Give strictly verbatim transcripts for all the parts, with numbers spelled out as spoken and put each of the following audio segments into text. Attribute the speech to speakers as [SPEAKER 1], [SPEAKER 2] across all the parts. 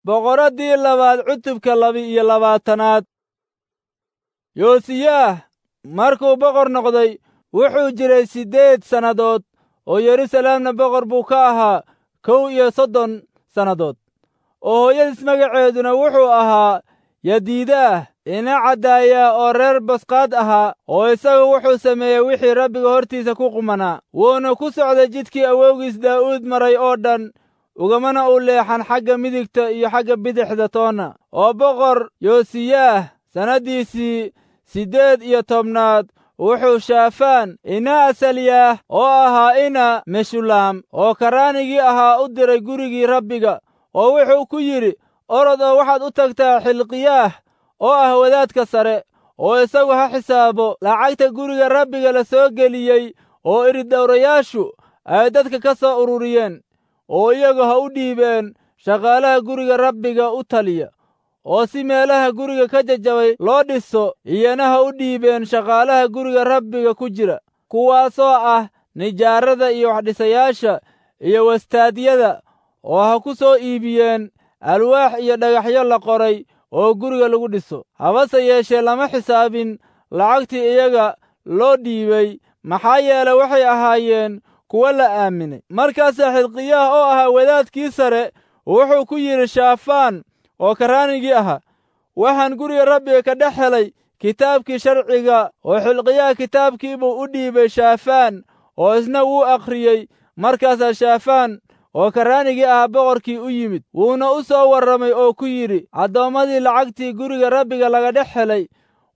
[SPEAKER 1] Boqoraddii labaad cutubka laba-iyo labaatanaad. Yoosiyaah markuu boqor noqday wuxuu jiray siddeed sannadood, oo Yeruusalaamna boqor buu ka ahaa kow iyo soddon sannadood. Oo hooyadiis magaceeduna wuxuu ahaa Yadiidaah ina caddaaya oo reer Bosqaad ahaa, oo isagu wuxuu sameeyey wixii Rabbiga hortiisa ku qumanaa. Wuuna ku socday jidkii awowgiis Daa'uud maray oo dhan, ugamana u leexan xagga midigta iyo xagga bidixda toonna. Oo boqor Yoosiyaah sannaddiisii siddeed iyo tobnaad wuxuu Shaafaan ina Asalyaah oo ahaa ina Meshulaam oo karraanigii ahaa u diray gurigii Rabbiga, oo wuxuu ku yidhi, orod oo waxaad u tagtaa Xilqiyaah oo ah wadaadka sare, oo isagu ha xisaabo lacagta guriga Rabbiga la soo geliyey oo iridhowrayaashu ay dadka ka soo ururiyeen, oo iyagu ha u dhiibeen shaqaalaha guriga Rabbiga u taliya, oo si meelaha guriga ka jajabay loo dhiso, iyana ha u dhiibeen shaqaalaha guriga Rabbiga ku jira, kuwaasoo ah nijaarada iyo waxdhisayaasha iyo wastaadyada, oo ha ku soo iibiyeen alwaax iyo dhagaxyo la qoray oo guriga lagu dhiso. Habase yeeshee lama xisaabin lacagtii iyaga loo dhiibay, maxaa yeelay waxay ahaayeen kuwo la aaminay. Markaasaa Xilqiyaah oo ahaa wadaadkii sare wuxuu ku yidhi Shaafaan oo karraanigii ahaa, waxaan guriga Rabbiga ka dhex helay kitaabkii sharciga. Oo Xilqiyaah kitaabkii buu u dhiibay Shaafaan, oo isna wuu akhriyey. Markaasaa Shaafaan oo karraanigii ahaa boqorkii u yimid, wuuna u soo warramay oo ku yidhi, addoommadii lacagtii guriga Rabbiga laga dhex helay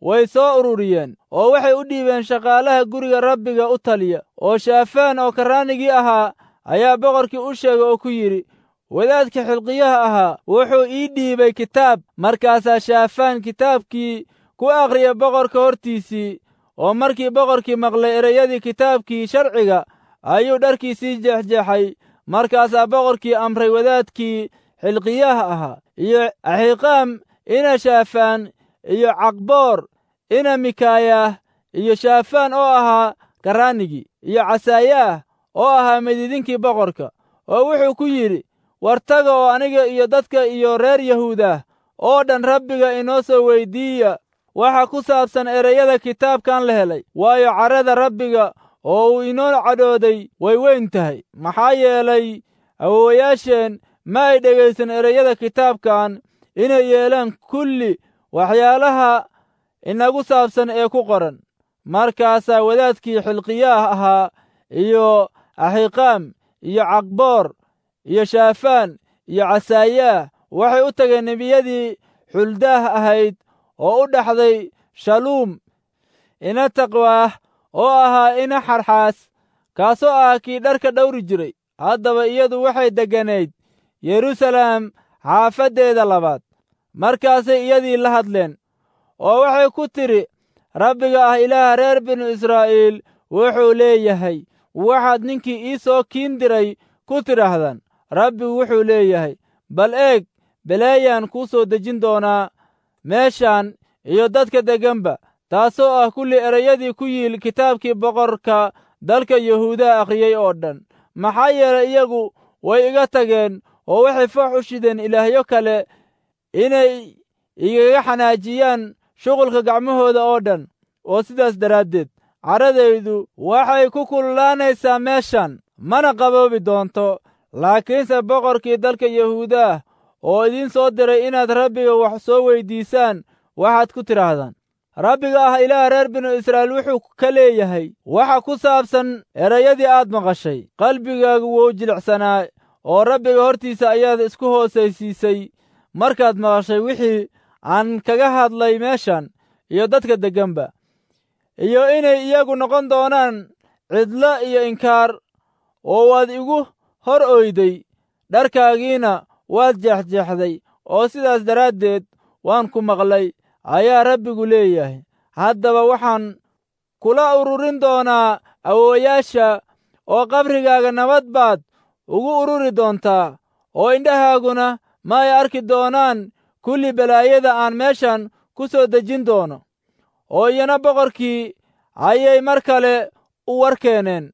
[SPEAKER 1] way soo ururiyeen, oo waxay u dhiibeen shaqaalaha guriga Rabbiga u taliya. Oo Shaafaan oo karraanigii ahaa ayaa boqorkii u sheegay oo ku yidhi, wadaadka Xilqiyaha ahaa wuxuu ii dhiibay kitaab. Markaasaa Shaafaan kitaabkii ku akhriyay boqorka hortiisii. Oo markii boqorkii maqlay ereyadii kitaabkii sharciga, ayuu dharkiisii jeexjeexay. Markaasaa boqorkii amray wadaadkii Xilqiyaha ahaa iyo Axiqaam ina Shaafaan iyo Caqboor ina Mikayaah iyo Shaafaan oo ahaa karraanigii iyo Casaayaah oo ahaa midiidinkii boqorka, oo wuxuu ku yidhi, war taga oo aniga iyo dadka iyo reer Yahuudah oo dhan Rabbiga inoo soo weyddiiya waxa ku saabsan ereyada kitaabkan la helay, waayo carrada Rabbiga oo uu inoo cadhooday way weyn tahay. Maxaa yeelay awoowayaasheen ma ay dhegaysan ereyada kitaabkan inay yeelaan kulli waxyaalaha inagu saabsan ee ku qoran. Markaasaa wadaadkii Xilqiyaah ahaa iyo Axiqaam iyo Caqboor iyo Shaafaan iyo Casaayaah waxay u tageen nebiyadii Xuldaah ahayd oo u dhaxday Shaluum ina Taqwaah oo ahaa ina Xarxaas, kaasoo ah kii dharka dhawri jiray. Haddaba iyadu waxay degganayd Yeruusalaam xaafaddeeda labaad. Markaasay iyadii la hadleen, oo waxay ku tidhi, Rabbiga ah Ilaaha reer binu Israa'iil wuxuu leeyahay, waxaad ninkii ii soo kiin diray ku tidhaahdaan, Rabbigu wuxuu leeyahay, bal eeg, beleeyaan kuu soo dejin doonaa meeshan iyo dadka degganba, taasoo ah kulli ereyadii ku yiil kitaabkii boqorka dalka Yahuudaha akhriyey oo dhan. Maxaa yeelay iyagu way iga tageen oo waxay foox u shideen ilaahyo kale inay igaga xanaajiyaan shuqulka gacmahooda oo dhan. Oo sidaas daraaddeed carradaydu waxay ku kululaanaysaa meeshan, mana qaboobi doonto. Laakiinse boqorkii dalka Yahuudaah oo idiin soo diray inaad Rabbiga wax soo weyddiisaan, waxaad ku tidhaahdaan, Rabbiga ah Ilaah reer binu Israa'iil wuxuu ka leeyahay waxa ku saabsan ereyadii aad maqashay. Qalbigaagu wuu jilicsanaa, oo Rabbiga hortiisa ayaad isku hoosaysiisay markaad maqashay wixii aan kaga hadlay meeshan iyo dadka degganba, iyo inay iyagu noqon doonaan cidlo iyo inkaar. Oo waad igu hor oyday, dharkaagiina waad jeexjeexday, oo sidaas daraaddeed waan ku maqlay, ayaa Rabbigu leeyahay. Haddaba waxaan kula ururin doonaa awoowayaasha, oo qabrigaaga nabad baad ugu ururi doontaa, oo indhahaaguna ma ay arki doonaan kulli balaayada aan meeshan ku soo dejin doono. Oo iyana boqorkii ayay mar kale u war keeneen.